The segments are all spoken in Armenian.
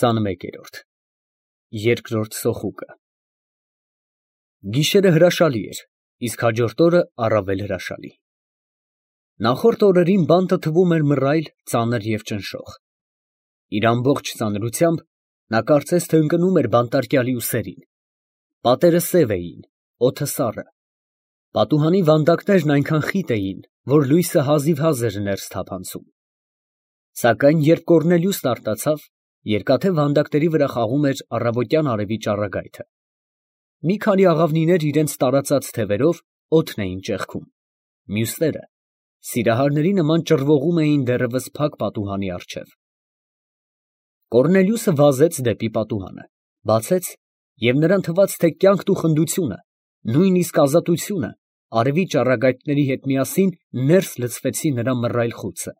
21-րդ Երկրորդ սոխուկը Գիշերը հրաշալի էր, իսկ հաջորդ օրը առավել հրաշալի։ Նախորդ օրերին բանտը թվում էր մռայլ, ծանր և ճնշող։ Իր ամբողջ ծանրությամբ նա կարծես թե ընկնում էր բանտարկյալի ուսերին։ Պատերը սև էին, օդը սառը։ Պատուհանի վանդակներն այնքան խիտ էին, որ լույսը հազիվհազ էր ներս թափանցում։ Սակայն երբ Կոռնելիուսն արտացավ, երկաթե վանդակների վրա խաղում էր առավոտյան արևի ճառագայթը։ Մի քանի աղավնիներ իրենց տարածած թևերով օդն էին ճեղքում, մյուսները սիրահարների նման ճռվողում էին դեռևս փակ պատուհանի առջև։ Կոռնելիուսը վազեց դեպի պատուհանը, բացեց, և նրան թվաց, թե կյանքն ու խնդությունը, նույնիսկ ազատությունը արևի ճառագայթների հետ միասին ներս լցվեցին նրա մռայլ խուցը։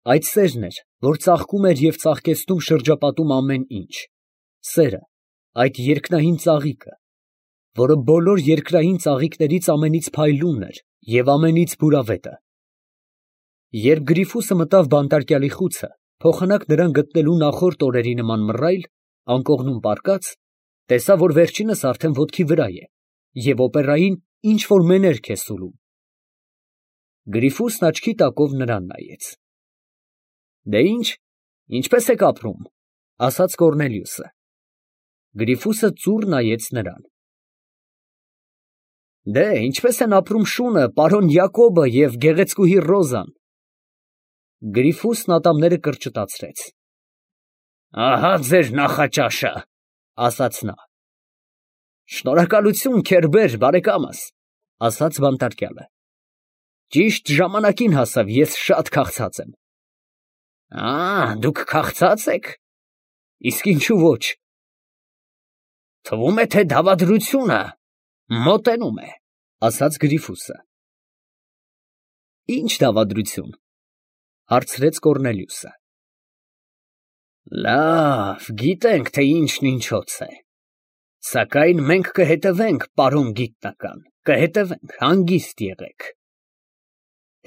Այդ սերն էր, որ ծաղկում էր և ծաղկեցնում շրջապատում ամեն ինչ, սերը, այդ երկնային ծաղիկը, որը բոլոր երկրային ծաղիկներից ամենից փայլունն էր և ամենից բուրավետը։ Երբ Գրիֆուսը մտավ բանտարկյալի խուցը, փոխանակ նրան գտնելու նախորդ օրերի նման մռայլ, անկողնում պառկած, տեսավ, որ վերջինս արդեն ոտքի վրա է և օպերային ինչ֊որ մեներք է սուլում։ Գրիֆուսն աչքի տակով նրան նայեց։ «Դե ինչ, ինչպե՞ս եք ապրում», ֊ ասաց Կոռնելիուսը։ Գրիֆուսը ծուռ նայեց նրան։ «Դե ինչպե՞ս են ապրում շունը, պարոն Յակոբը և գեղեցկուհի Ռոզան»։ Գրիֆուսն ատամները կրճտացրեց։ «Ահա ձեր նախաճաշը», ֊ ասաց նա։ «Շնորհակալություն, Քերբեր, բարեկամս», ֊ ասաց բանտարկյալը։ «Ճիշտ ժամանակին հասավ, ես շատ քաղցած եմ»։ Դուք քաղցած եք, իսկ ինչու ոչ։ Թվում է, թե դավադրությունը մոտենում է, ասաց Գրիֆուսը։ Ի՞նչ դավադրություն, հարցրեց Կոռնելիուսը։ Լավ, գիտենք, թե ինչն ինչոց է, սակայն մենք կհետևենք, պարոն գիտնական, կհետևենք, հանգիստ եղեք։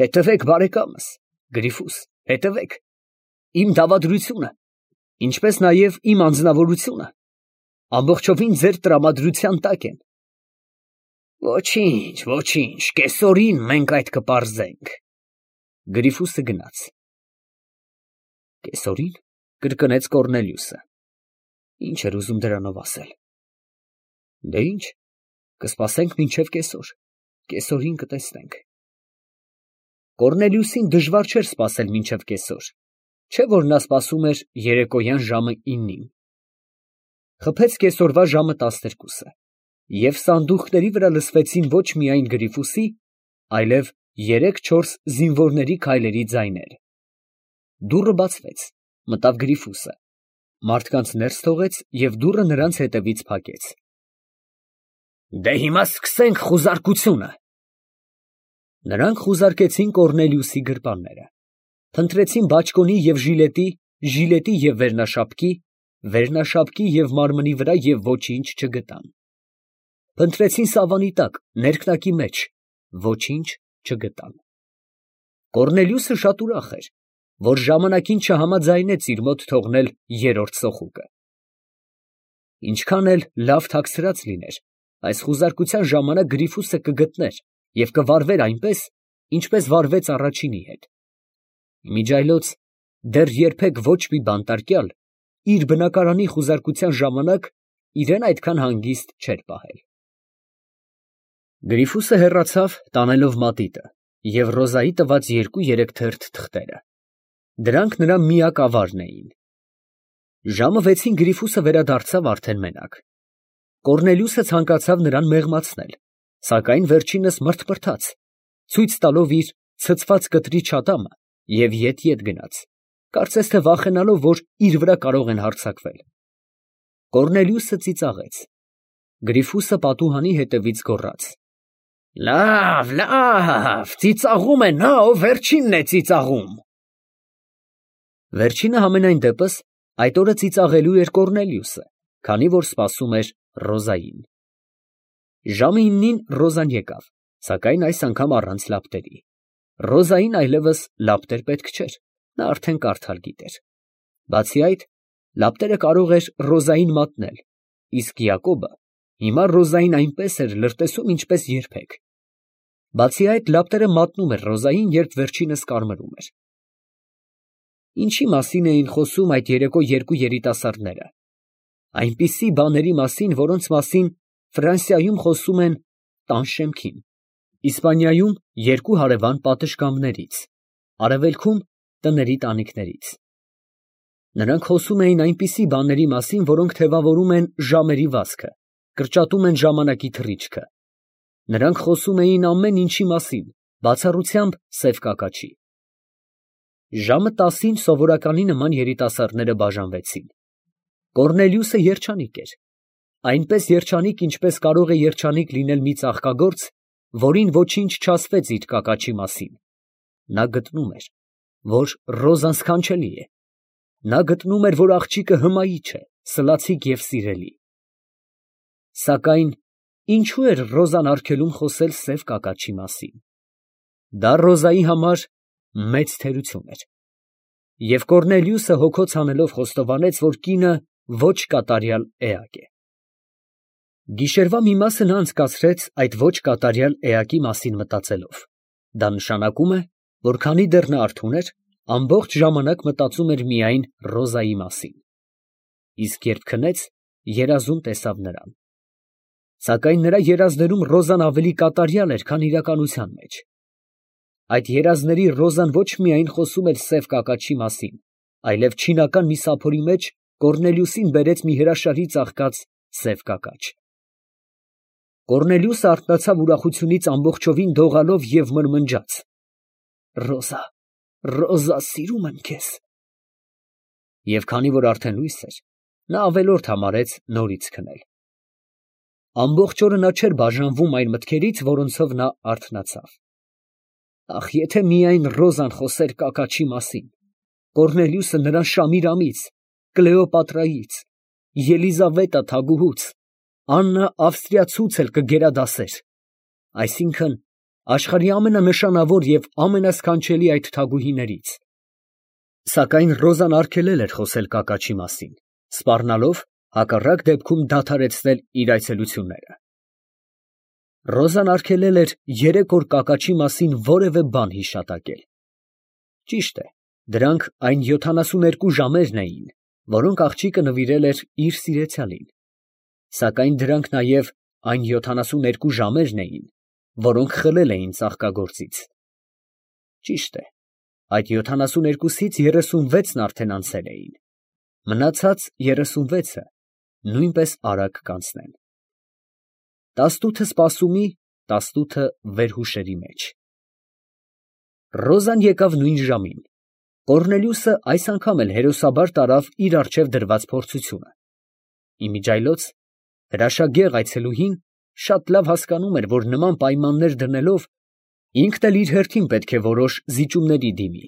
Հետևեք, բարեկամս, Գրիֆուս, հետևեք։ Իմ դավադրությունը, ինչպես նաև իմ անձնավորությունը, ամբողջովին ձեր տրամադրության տակ են։ Ոչինչ, ոչինչ, կեսօրին մենք այդ կպարզենք։ Գրիֆուսը գնաց։ Կեսօրին, կրկնեց Կոռնելիուսը։ Ինչ էր ուզում դրանով ասել։ Դե ինչ, կսպասենք մինչև կեսօր, կեսօրին կտեսնենք։ Կոռնելիուսին դժվար չէր սպասել մինչև կեսօր, չէ՞ որ նա սպասում էր երեկոյան ժամը 9-ին։ Խփեց կեսօրվա ժամը 12-ը, և սանդուղքների վրա լսվեցին ոչ միայն Գրիֆուսի, այլև 3-4 զինվորների քայլերի ձայներ։ Դուռը բացվեց, մտավ Գրիֆուսը, մարդկանց ներս թողեց և դուռը նրանց հետևից փակեց։ Դե հիմա սկսենք խուզարկությունը։ Նրանք խուզարկեցին Կոռնելիուսի գրպանները, փնտրեցին բաճկոնի և ժիլետի և վերնաշապկի և մարմնի վրա և ոչինչ չգտան։ Փնտրեցին սավանի տակ, ներքնակի մեջ, ոչինչ չգտան։ Կոռնելիուսը շատ ուրախ էր, որ ժամանակին չհամաձայնեց իր մոտ թողնել երրորդ սոխուկը։ Ինչքան էլ լավ թաքցրած լիներ, այս խուզարկության ժամանակ Գրիֆուսը կգտներ և կվարվեր այնպես, ինչպես վարվեց առաջինի հետ։ Իմիջիայլոց դեռ երբեք ոչ մի բանտարկյալ իր բնակարանի խուզարկության ժամանակ իրան այդքան հանգիստ չէր պահել։ Գրիֆուսը հեռացավ, տանելով մատիտը և Ռոզայի տված 2-3 թերթ թղթերը։ Դրանք նրա միակ ավարն էին։ Ժամը 6-ին Գրիֆուսը վերադարձավ արդեն մենակ։ Կոռնելիուսը ցանկացավ նրան մեղմացնել, սակայն վերջինս մռթմռթաց, ցույց տալով իր ցցված կտրի չատամը և ետ գնաց, կարծես թե վախենալով, որ իր վրա կարող են հարձակվել։ Կոռնելիուսը ծիծաղեց։ Գրիֆուսը պատուհանի հետևից գոռաց. Լավ, լավ, ծիծաղում է նա, ով վերջինն է ծիծաղում։ Վերջինը համենայն դեպս այդ օրը ծիծաղելու էր Կոռնելիուսը, քանի որ սպասում էր Ռոզային։ Ժամը 9-ին Ռոզան եկավ, սակայն այս անգամ առանց լապտերի։ Ռոզային այլևս լապտեր պետք չէր, նա արդեն կարդալ գիտեր։ Բացի այդ, Լապտերը կարող էր Ռոզային մատնել, իսկ Յակոբը հիմա Ռոզային այնպես էր լրտեսում, ինչպես երբեք։ Բացի այդ, լապտերը մատնում էր Ռոզային, երբ վերջինս կարմրում էր։ Ինչի մասին էին խոսում այդ երեկո երկու երիտասարդները։ Այնպիսի բաների մասին, որոնց մասին Ֆրանսիայում խոսում են տան շեմքին, Իսպանիայում երկու հարևան պատշգամբներից, Արևելքում տների տանիքներից։ Նրանք խոսում էին այնպիսի բաների մասին, որոնք թևավորում են ժամերի վազքը, կրճատում են ժամանակի թռիչքը։ Նրանք խոսում էին ամեն ինչի մասին, բացառությամբ սև կակաչի։ Ժամը 10-ին սովորականի նման երիտասարդները բաժանվեցին։ Կոռնելիուսը երջանիկ էր, այնպես երջանիկ, ինչպես կարող է երջանիկ լինել մի ծաղկագործ, որին ոչինչ չասվեց իր կակաչի մասին։ Նա գտնում էր, որ Ռոզան սքանչելի է։ Նա գտնում էր, որ աղջիկը հմայիչ է, սլացիկ և սիրելի։ Սակայն ինչու էր Ռոզան արգելում խոսել սև կակաչի մասին։ Դա Ռոզայի համար մեծ թերություն էր։ Եվ Կոռնելիուսը հոգոց հանելով խոստովանեց, որ կինը ոչ կատարյալ էակ է։ Գիշերվա մի մասը նա անցկացրեց այդ ոչ կատարյալ էակի մասին մտածելով։ Դա նշանակում է, որ քանի դեռ նա արթուն էր, ամբողջ ժամանակ մտածում էր միայն Ռոզայի մասին։ Իսկ երբ քնեց, երազում տեսավ նրան։ Սակայն նրա երազներում Ռոզան ավելի կատարյալ էր, քան իրականության մեջ։ Այդ երազների Ռոզան ոչ միայն խոսում էր սև կակաչի մասին, այլև չինական մի սափորի մեջ Կոռնելիուսին բերեց մի հրաշալի ծաղկած սև կակաչ։ Կոռնելիուսը արթնացավ ուրախությունից ամբողջովին դողալով և մրմնջաց. «Ռոզա, Ռոզա, սիրում եմ քեզ»։ Եվ քանի որ արդեն լույս էր, նա ավելորդ համարեց նորից քնել։ Ամբողջ օրը նա չէր բաժանվում այն մտքերից, որոնցով նա արթնացավ։ Ախ, եթե միայն Ռոզան խոսեր կակաչի մասին, Կոռնելիուսը նրան Շամիրամից, Կլեոպատրայից, Ելիզավետա թագուհուց, Աննա ավստրիացուց էլ կգերադասեր, այսինքն աշխարհի ամենանշանավոր և ամենասքանչելի այդ թագուհիներից։ Սակայն Ռոզան արգելել էր խոսել կակաչի մասին, սպառնալով հակառակ դեպքում դադարեցնել իր այցելությունները։ Ռոզան արգելել էր 3 օր կակաչի մասին որևէ բան հիշատակել։ Ճիշտ է, դրանք այն 72 ժամերն էին, որոնք աղջիկը նվիրել էր իր սիրեցյալին։ Սակայն դրանք նաև այն 72 ժամերն էին, որոնք խլել էին ծաղկագործից։ Ճիշտ է, այդ 72-ից 36-ն արդեն անցել էին, մնացած 36-ը նույնպես արագ կանցնեն։ 18-ը սպասումի, 18-ը վերհուշերի մեջ։ Ռոզան եկավ նույն ժամին։ Կոռնելիուսը այս անգամ էլ հերոսաբար տարավ իր առջև դրված փորձությունը։ Իմիջիայլոց հրաշագեղ այցելուհին շատ լավ հասկանում էր, որ նման պայմաններ դնելով ինքն էլ իր հերթին պետք է որոշ զիջումների դիմի։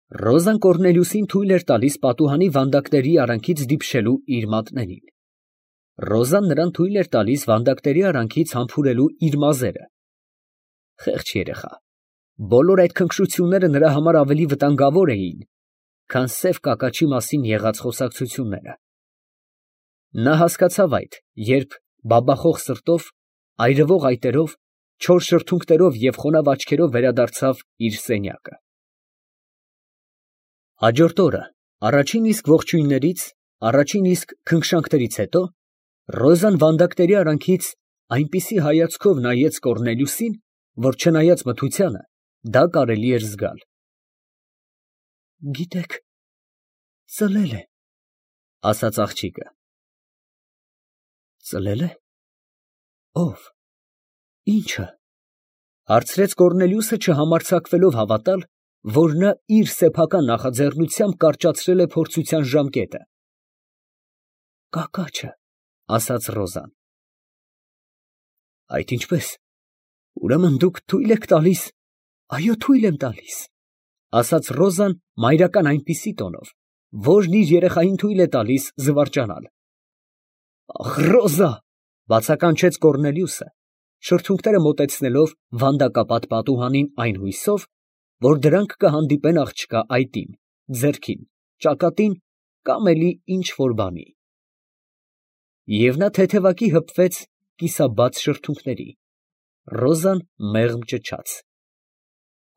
Ռոզան Կոռնելիուսին թույլ էր տալիս պատուհանի վանդակների արանքից դիպչելու իր մատներին։ Ռոզան նրան թույլ էր տալիս վանդակների արանքից համբուրելու իր մազերը։ Խեղճ երեխա, բոլոր այդ քնքշությունները նրա համար ավելի վտանգավոր էին, քան սև կակաչի մասին եղած խոսակցությունները։ Նա հասկացավ այդ, երբ բաբախող սրտով, այրվող այտերով, չոր շրթունքներով և խոնավ աչքերով վերադարձավ իր սենյակը։ Հաջորդ օրը, առաջին իսկ ողջույններից, առաջին իսկ քնքշանքներից հետո, Ռոզան վանդակների արանքից այնպիսի հայացքով նայեց Կոռնելիուսին, որ չնայած մթությանը, դա կարելի էր զգալ։ «Գիտեք, ծլել է», ֊ ասաց աղջիկը։ «Ծլել է։ Ո՞վ, ի՞նչը», ֊ հարցրեց Կոռնելիուսը, չհամարձակվելով հավատալ, որ նա իր սեփական նախաձեռնությամբ կարճացրել է փորձության ժամկետը։ «Կակաչը», ֊ ասաց Ռոզան։ «Այդ ինչպես, ուրեմն դուք թույլ եք տալիս»։ «Այո, թույլ եմ տալիս», ֊ ասաց Ռոզան մայրական այնպիսի տոնով, որն իր երեխային թույլ է տալիս զվարճանալ։ «Ախ, Ռոզա», ֊ բացականչեց Կոռնելիուսը, շրթունքները մոտեցնելով վանդակապատ պատուհանին այն հույսով, որ դրանք կհանդիպեն աղջկա այտին, ձեռքին, ճակատին կամ էլի ինչ որ բանի։ Եվ նա թեթևակի հպվեց կիսաբաց շրթունքների, Ռոզան մեղմ ճչաց։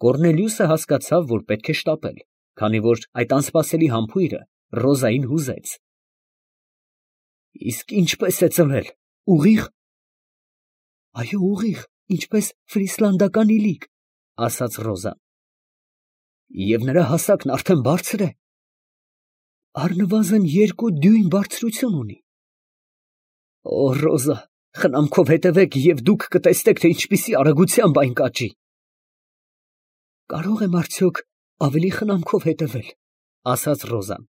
Կոռնելիուսը հասկացավ, որ պետք է շտապել, քանի որ այդ անսպասելի համբույրը Ռոզային հուզեց։ Իսկ ինչպես է ծնվել, ուղիղ։ Այո, ուղիղ, ինչպես ֆրիսլանդական իլիկ, ասաց Ռոզան։ Եվ նրա հասակն արդեն բարձր է։ Առնվազն 2 դյույմ բարձրություն ունի։ Օ, Ռոզա, խնամքով հետևեք և դուք կտեսնեք, թե ինչպիսի արագությամբ այն կաճի։ Կարող եմ արդյոք ավելի խնամքով հետևել, ասաց Ռոզան։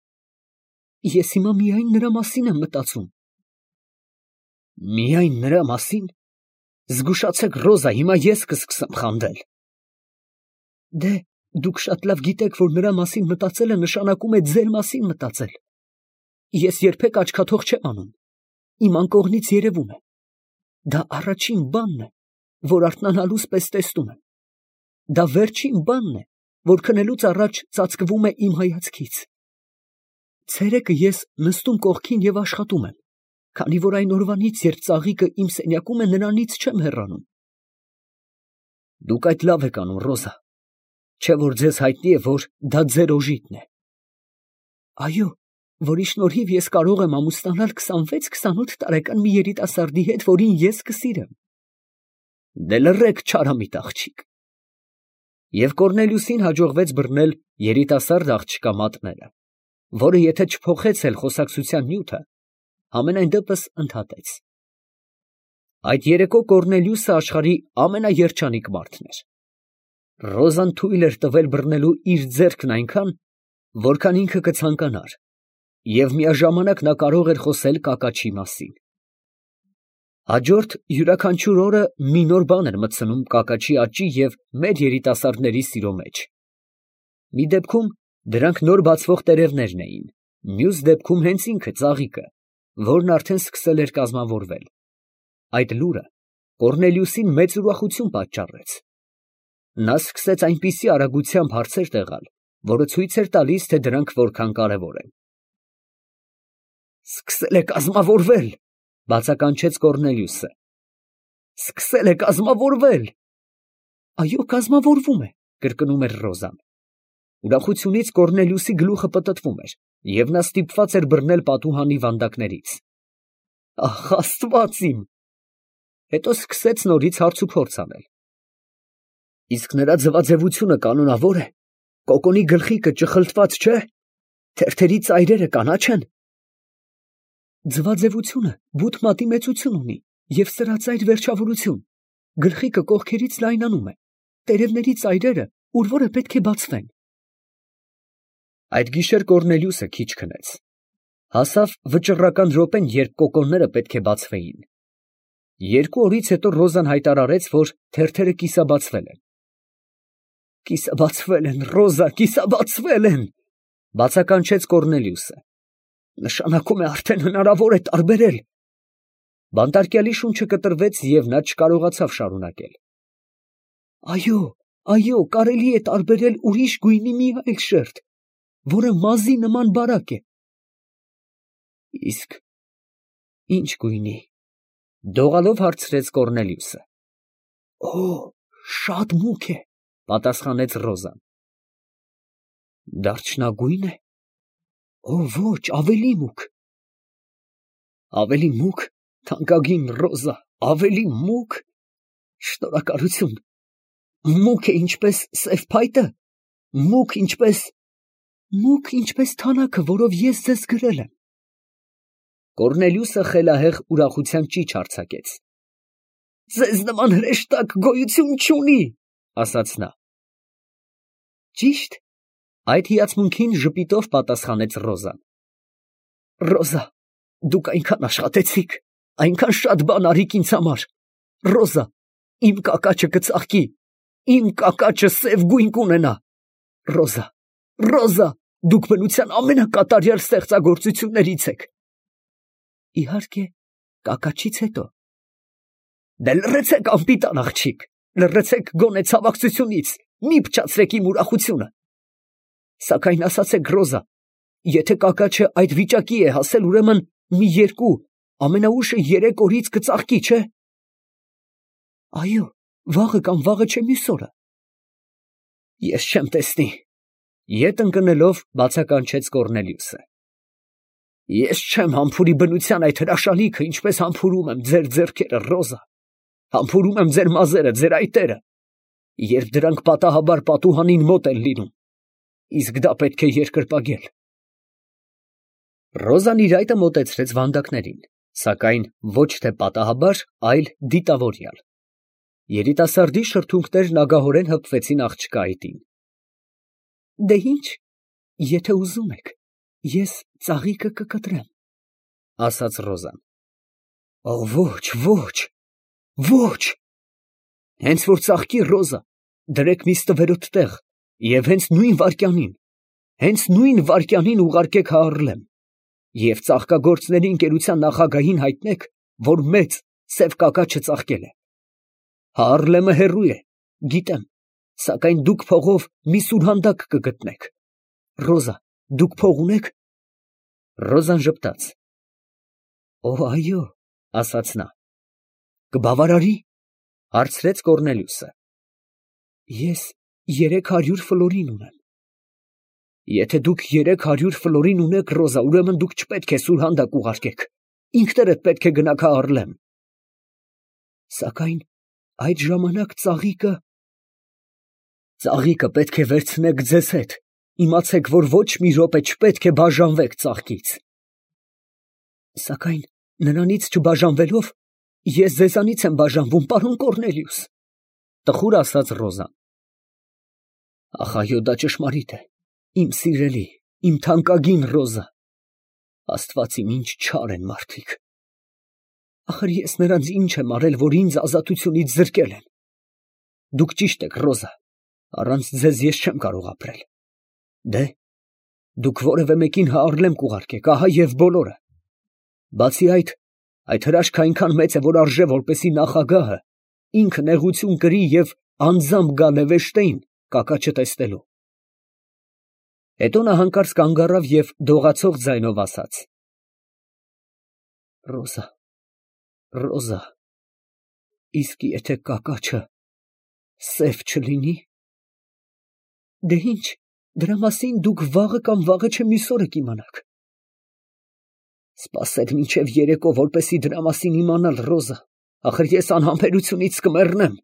Ես հիմա միայն նրա մասին եմ մտածում։ Միայն նրա մասին։ Զգուշացեք, Ռոզա, հիմա ես կսկսեմ խանդել։ Դե, դուք շատ լավ գիտեք, որ նրա մասին մտածելը նշանակում է ձեր մասին մտածել։ Ես երբեք աչքաթող չեմ անում։ Իմ անկողնից երևում է։ Դա առաջին բանն է, որ արթնանալուց պես տեսնում եմ։ Դա վերջին բանն է, որ քնելուց առաջ ծածկվում է իմ հայացքից։ Ցերեկը ես նստում կողքին և աշխատում եմ, քանի որ այն օրվանից, երբ ծաղիկը իմ սենյակում է, նրանից չեմ հեռանում։ Դուք այդ լավ եք անում, Ռոզա, չէ՞ որ ձեզ հայտնի է, որ դա ձեր օժիտն է։ Այո, որի շնորհիվ ես կարող եմ ամուսնանալ 26-28 տարեկան մի երիտասարդի հետ, որին ես կսիրեմ։ Դե լռեք, չարամիտ աղջիկ։ Եվ Կոռնելիուսին հաջողվեց բռնել երիտասարդ աղջկա մատները, որը եթե չփոխեց էլ խոսակցության նյութը, համենայն դեպս ընդհատեց։ Այդ երեկո Կոռնելիուսը աշխարհի ամենաերջանիկ մարդն էր։ Ռոզան թույլ էր տվել բռնելու իր ձեռքն այնքան, որքան ինքը կցանկանար, և միաժամանակ նա կարող էր խոսել կակաչի մասին։ Հաջորդ յուրաքանչյուր օրը մի նոր բան էր մտցնում կակաչի աճի և մեր երիտասարդների սիրո մեջ։ Մի դեպքում դրանք նոր բացվող տերևներն էին, մյուս դեպքում հենց ինքը ծաղիկը, որն արդեն սկսել էր կազմավորվել։ Այդ լուրը Կոռնելիուսին մեծ ուրախություն պատճառեց։ Նա սկսեց այնպիսի արագությամբ հարցեր տեղալ, որը ցույց էր տալիս, թե դրանք որքան կարևոր են։ Սկսել է կազմավորվել, բացականչեց Կոռնելիուսը։ Սկսել է կազմավորվել։ Այո, կազմավորվում է, կրկնում էր Ռոզան։ Ուրախությունից Կոռնելիուսի գլուխը պտտվում էր, և նա ստիպված էր բռնել պատուհանի վանդակներից։ Ախ, Աստված իմ։ Հետո սկսեց նորից հարցուփորձ անել։ Իսկ նրա ձվաձևությունը կանոնավոր է։ Կոկոնի գլխիկը ճխլտված չէ։ Թերթերի ծայրերը կանաչ են։ Ձվաձևությունը բութ մատի մեծություն ունի և սրածայր վերջավորություն։ Գլխիկը կողքերից լայնանում է։ Տերևների ծայրերը ուր որը պետք է բացվեն։ Այդ գիշեր Կոռնելիուսը քիչ քնեց։ Հասավ վճռական րոպեն, երբ կոկոնները պետք է բացվեին։ 2 օրից հետո Ռոզան հայտարարեց, որ թերթերը կիսաբացվել են։ Կիսաբացվել են, Ռոզա, կիսաբացվել են, բացականչեց Կոռնելիուսը։ Նշանակում է արդեն հնարավոր է տարբերել։ Բանտարկյալի շունչը կտրվեց և նա չկարողացավ շարունակել։ Այո, այո, կարելի է տարբերել ուրիշ գույնի մի այլ շերտ, որը մազի նման բարակ է։ Իսկ ինչ գույնի, դողալով հարցրեց Կոռնելիուսը։ Օ, շատ մուգ է, պատասխանեց Ռոզան։ Դարչնագույն է։ Օ, ոչ, ավելի մուգ։ Ավելի մուգ, թանկագին Ռոզա, ավելի մուգ։ Շնորհակալություն։ Մուգ է ինչպես սև փայտը, մուգ ինչպես թանաքը, որով ես ձեզ գրել եմ։ Կոռնելիուսը խելահեղ ուրախության ճիչ արձակեց։ Ձեզ նման հրեշտակ գոյություն չունի, ասաց նա։ Ճիշտ, այդ հիացմունքին ժպիտով պատասխանեց Ռոզան։ Ռոզա, դուք այնքան աշխատեցիք, այնքան շատ բան արիք ինձ համար։ Ռոզա, իմ կակաչը կծաղկի, իմ կակաչը սև գույն կունենա։ Ռոզա, Ռոզա, դուք բնության ամենակատարյալ ստեղծագործություններից եք։ Իհարկե, կակաչից հետո։ Դե լռեցեք, անպիտան աղջիկ, լռեցեք գոնե ցավակցությունից, մի փչացրեք իմ ուրախությունը։ Սակայն ասացեք, Ռոզա, Եթե կակաչը այդ վիճակի է հասել, ուրեմն մի 2, ամենաուշը 3 օրից կծաղկի, չէ՞։ Այո, վաղը կամ վաղը չէ մյուս օրը։ Ես չեմ տեսնի, ետ ընկնելով բացականչեց Կոռնելիուսը։ Ես չեմ համբուրի բնության այդ հրաշալիքը, ինչպես համբուրում եմ ձեր ձեռքերը, Ռոզա, համբուրում եմ ձեր մազերը, ձեր այտերը, երբ դրանք պատահաբար պատուհանին մոտ են լինում, իսկ դա պետք է երկրպագել։ Ռոզան իր այտը մոտեցրեց վանդակներին, սակայն ոչ թե պատահաբար, այլ դիտավորյալ։ Երիտասարդի շրթունքներն ագահորեն հպվեցին աղջկա այտին։ Դե ինչ, եթե ուզում եք, ես ծաղիկը կկտրեմ, ասաց Ռոզան։ Ոչ, ոչ, ոչ։ Հենց որ ծաղկի, Ռոզա, դրեք մի ստվերոտ տեղ և հենց նույն վայրկյանին ուղարկեք Հաառլեմ և ծաղկագործների ընկերության նախագահին հայտնեք, որ մեծ սև կակաչը ծաղկել է։ Հաառլեմը հեռու է, գիտեմ, սակայն դուք փողով մի սուրհանդակ կգտնեք։ Ռոզա, դուք փող ունե՞ք։ Ռոզան ժպտաց։ Այո, ասաց նա։ Կբավարարի, հարցրեց Կոռնելիուսը։ Ես 300 ֆլորին ունեմ։ Եթե դուք 300 ֆլորին ունեք, Ռոզա, ուրեմն դուք չպետք է սուրհանդակ ուղարկեք, ինքներդ պետք է գնաք Հաառլեմ։ Սակայն այդ ժամանակ ծաղիկը պետք է վերցնեք ձեզ հետ, իմացեք, որ ոչ մի րոպե չպետք է բաժանվեք ծաղկից։ Սակայն նրանից չբաժանվելով, ես ձեզանից եմ բաժանվում, պարոն Կոռնելիուս, տխուր ասաց Ռոզան։ Ախ, այո, դա ճշմարիտ է, իմ սիրելի, իմ թանկագին Ռոզա, Աստված իմ, ինչ չար են մարդիկ։ Ախր ես նրանց ինչ եմ արել, որ ինձ ազատությունից զրկել են։ Դուք ճիշտ եք, Ռոզա, առանց ձեզ ես չեմ կարող ապրել։ Դե, դուք որևէ մեկին Հաառլեմ կուղարկեք, ահա և բոլորը։ Բացի այդ հրաշքը այնքան մեծ է, որ արժե, որպեսզի նախագահը ինքը նեղություն կրի և անձամբ գա Լևեշտեին կակաչը տեսնելու։ Հետո նա հանկարծ կանգ առավ և դողացող ձայնով ասաց. Ռոզա, Ռոզա, իսկ եթե կակաչը սև չլինի։ Դե ինչ, դրա մասին դուք վաղը կամ վաղը չէ մյուս օրը կիմանաք։ Սպասեք մինչև երեկո, որպեսզի դրա մասին իմանալ, Ռոզա, ախր ես անհամբերությունից կմեռնեմ։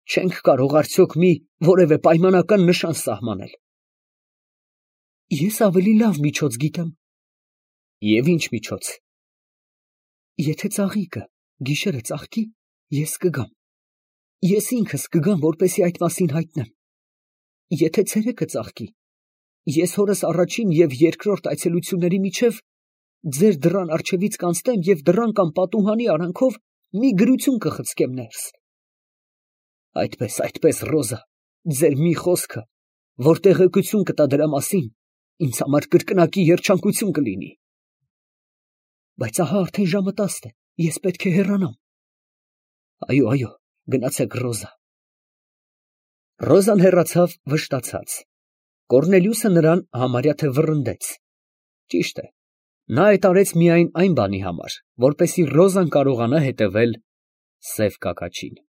Չենք կարող արդյոք մի որևէ պայմանական նշան սահմանել։ Ես ավելի լավ միջոց գիտեմ։ Եվ ինչ միջոց։ Եթե ծաղիկը գիշերը ծաղկի, ես կգամ։ Ես ինքս կգամ, որպեսզի այդ մասին հայտնեմ։ Եթե ցերեկը ծաղկի, ես հորս առաջին և երկրորդ այցելությունների միջև ձեր դռան առջևից կանցնեմ և դռան կամ պատուհանի արանքով մի գրություն կխցկեմ ներս։ Այդպես, Ռոզա, ձեր մի խոսքը, որ տեղեկություն կտա դրա մասին, ինձ համար կրկնակի երջանկություն կլինի։ Բայց ահա արդեն ժամը 10 է, ես պետք է հեռանամ։ Այո, գնացեք, Ռոզա։ Ռոզան հեռացավ վշտացած։ Կոռնելիուսը նրան համարյա թե վռնդեց։ Ճիշտ է, նա այդ արեց միայն այն բանի համար, որպեսզի Ռոզան կարողանա հետևել սև կակաչին։